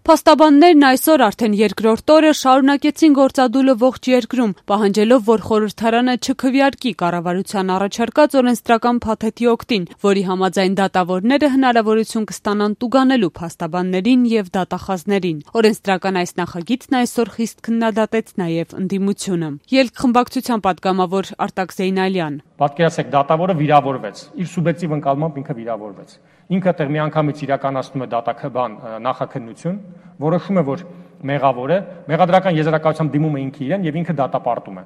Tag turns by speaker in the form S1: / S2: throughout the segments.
S1: Փաստաբաններն այսօր արդեն երկրորդ օրը շարունակեցին գործադուլը ողջ երկրում, պահանջելով, որ խորհրդարանը չքվեարկի կառավարության առաջարկած օրենսդրական փաթեթի օգտին, որի համաձայն դատավորները հնարավորություն կստանան տուգանելու փաստաբաններին եւ դատախազներին։ Օրենսդրական այս նախագիծն այսօր խիստ քննադատեց նաեւ ընդդիմությունը։ Ելք խմբակցության պատգամավոր Արտակ Զեյնալյան.
S2: Պատկերացրեք, դատավորը վիրավորվեց, իր սուբյեկտիվ ընկալմամբ ինքը վիրավորվեց։ Ինքը տեղ միանգամից իրականացնում է դատաքննության նախաքննություն, որոշում է, որ մեղավոր է, մեղադրական եզրակացությամբ դիմում է ինքը իրեն եւ ինքը դատապարտում է։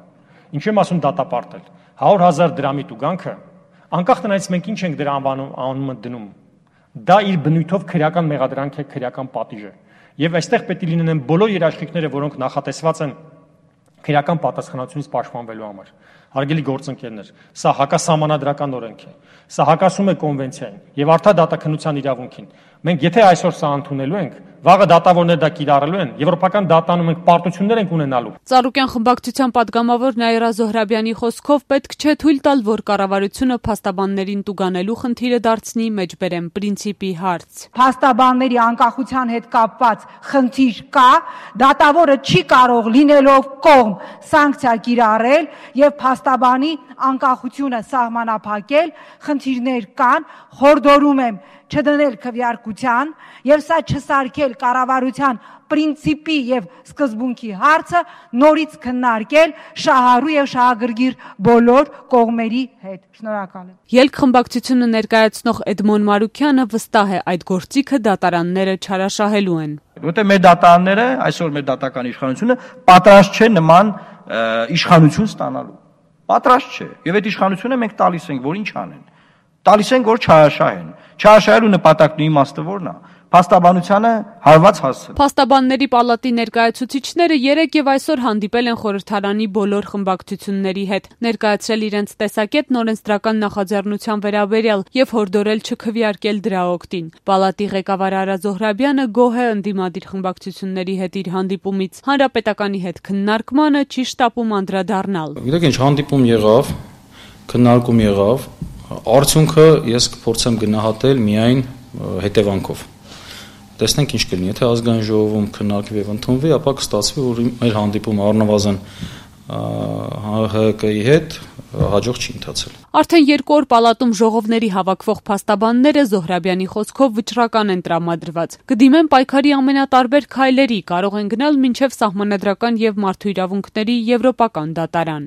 S2: Ինչու եմ ասում դատապարտել։ 100,000 դրամի տուգանքը, անկախ տնայից մենք ինչ ենք դրա անվանումը դնում, դա իր բնույթով քրեական մեղադրանք է, քրեական պատիժ է։ Եվ այստեղ պետք է լինեն բոլոր երաշխիքները, որոնք նախատեսված են քրեական պատասխանատվությունից պաշտպանվելու համար։ Հարգելի գործընկերներ, սա հակասահմանադրական օրենք է, սա հակասում է կոնվենցիային եւ արդար դատաքննության իրավունքին։ Մենք եթե այսօր սա ընդունելու ենք, վաղը դատավորները դա կիրառելու են, եվրոպական դատանում ենք պարտություններ ենք ունենալու։
S1: Ծառուկյան խմբակցության պատգամավոր Նաիրա Զոհրաբյանի խոսքով պետք չէ թույլ տալ, որ կառավարությունը փաստաբաններին տուգանելու խնդիրը դարձնի մեջբերեմ պրինցիպի հարց։
S3: Փաստաբանների անկախության հետ կապված խնդիր կա, դատավորը չի կարող լինելով կողմ սանկցիա կիրառել եւ փաստաբանի անկախությունը սահմանափակել, խնդիրներ կան, խորհրդորում եմ չդնել քվեարկության եւ սա չսարքել կառավարության պրինցիպի եւ սկզբունքի հարցը նորից քննարկել շահառու եւ շահագրգիռ բոլոր կողմերի հետ։ Շնորհակալ եմ։
S1: Ելք խմբակցությունը ներկայացնող Էդմոն Մարուկյանը վստահ է այդ գործիքը դատարանները չարաշահելու են։
S4: Որտեղ մեր դատարանները, այսօր մեր դատական իշխանությունը պատրաստ չէ նման իշխանություն ստանալու։ Պատրաստ չէ։ Եվ այդ իշխանությունը մենք տալիս ենք, որ ինչ անեն։ Տալիս ենք, որ չարաշահեն։ Չարաշահելու նպատակն ու իմաստը որն է։ Փաստաբանությանը հարված հասցնել։
S1: Փաստաբանների պալատի ներկայացուցիչները երեկ եւ այսօր հանդիպել են խորհրդարանի բոլոր խմբակցությունների հետ, ներկայացրել իրենց տեսակետն օրենսդրական նախաձեռնության վերաբերյալ եւ հորդորել չքվեարկել դրա օգտին։ Պալատի ղեկավար Արա Զոհրաբյանը գոհ է ընդդիմադիր խմբակցությունների հետ իր հանդիպումից, հանրապետականի հետ քննարկմանը չի շտապում անդրադառնալ։
S5: Գիտեք ինչ, հանդիպում եղավ, քննարկում եղավ, արդյունքը ես կփորձեմ գնահատել միայն հետևանքով։ Տեսնենք ինչ կլինի, եթե ազգային ժողովում քննարկվի եւ ընդունվի, ապա կստացվի, որ մեր հանդիպումը առնվազն ՀՀԿ-ի հետ հաջող չի ընթացել։
S1: Արդեն 2 օր պալատում ժողովների հավաքվող փաստաբանները Զոհրաբյանի խոսքով վճռական են տրամադրված։ Կդիմեն պայքարի ամենատարբեր քայլերի, կարող են գնալ մինչև սահմանադրական եւ մարդու իրավունքների եվրոպական դատարան։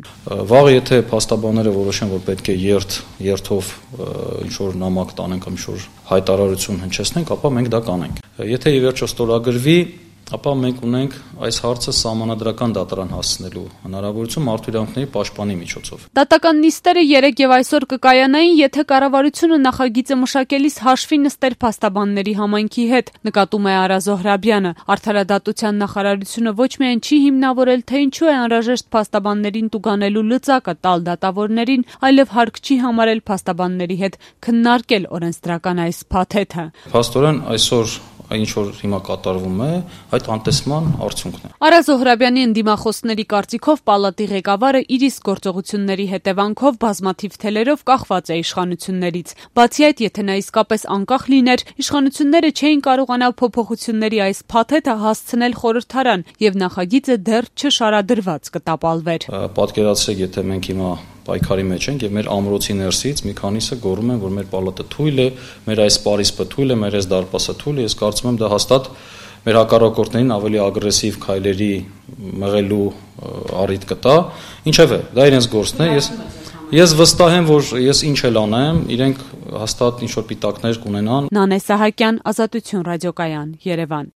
S5: Վաղը եթե փաստաբանները որոշեն, որ պետք է երթով ինչ որ նամակ տանենք, ինչ որ հայտարարություն հնչեցնենք, ապա մենք դա կանենք։ Եթե ի վերջո ստորագրվի, ապա մենք ունենք այս հարցը սահմանադրական դատարան հասցնելու հնարավորություն մարդու իրավունքների պաշտպանի միջոցով։
S1: Դատական նիստերը 3 եւ այսօր կկայանային, եթե կառավարությունը նախագիծը մշակելիս հաշվի նստեր փաստաբանների համայնքի հետ, նկատում է Արա Զոհրաբյանը։ Արդարադատության նախարարությունը ոչ միայն չի հիմնավորել, թե ինչու է անհրաժեշտ փաստաբաններին տուգանելու լծակը տալ դատավորներին, այլև հարկ չի համարել փաստաբանների հետ քննարկել օրենսդրական այս փաթեթը։
S5: Փաստորեն այսօր ինչ որ հիմա կատարվում է, այդ անտեսման արդյունքն է։
S1: Արա Զոհրաբյանի ընդդիմախոսների կարծիքով պալատի ղեկավարը իր իսկ գործողությունների հետևանքով բազմաթիվ թելերով կախված է իշխանություններից։ Բացի այդ, եթե նա իսկապես անկախ լիներ, իշխանությունները չէին կարողանա փոփոխությունների այս փաթեթը հասցնել խորհրդարան եւ նախագիծը դեռ չշարադրված կտապալվեր։
S5: Պատկերացրեք, եթե մենք հիմա պայքարի մեջ ենք եւ մեր ամրոցի ներսից մի քանիսը գոռում են, որ մեր պալատը թույլ է, մեր այս պարիսպը թույլ է, մեր այս դարպասը թույլ է։ Ես կարծում եմ դա հաստատ մեր հակառակորդներին ավելի ագրեսիվ քայլերի մղելու առիթ կտա։ Ինչևէ, դա իրենց գործն է։ Ես վստահ եմ, որ ես ինչ էլ անեմ, իրենք հաստատ ինչ որ պիտակներ կունենան։
S1: Նանե Սահակյան, Ազատություն ռադիոկայան, Երևան։